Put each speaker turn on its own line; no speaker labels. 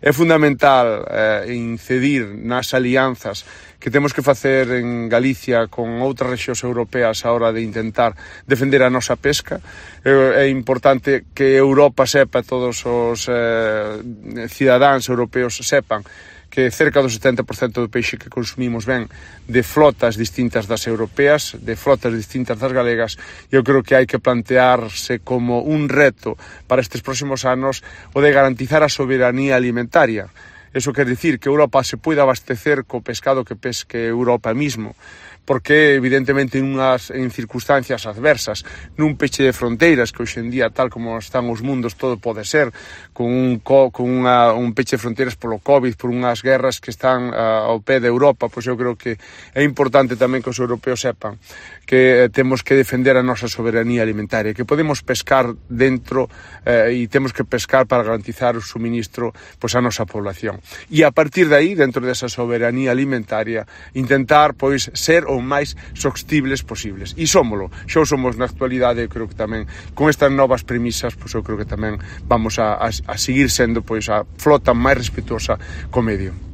É fundamental incidir nas alianzas que temos que facer en Galicia con outras rexións europeas a hora de intentar defender a nosa pesca. É importante que Europa sepa, todos os cidadáns europeos sepan que cerca do 70% do peixe que consumimos ven de flotas distintas das europeas, de flotas distintas das galegas. Eu creo que hai que plantearse como un reto para estes próximos anos o de garantizar a soberanía alimentaria. Eso quer dicir que Europa se poida abastecer co pescado que pesque Europa mismo, porque evidentemente en circunstancias adversas, nun peche de fronteiras que hoxe en día, tal como están os mundos, todo pode ser, con un peche de fronteiras polo COVID, por unhas guerras que están ao pé de Europa, pois eu creo que é importante tamén que os europeos sepan que temos que defender a nosa soberanía alimentaria, que podemos pescar dentro e temos que pescar para garantizar o suministro pois a nosa población. E a partir de aí, dentro desa soberanía alimentaria, intentar pois ser o máis sostibles posibles. E somos na actualidade. Eu creo que tamén con estas novas premisas, pois eu creo que tamén vamos a seguir sendo pois a flota máis respetuosa co medio.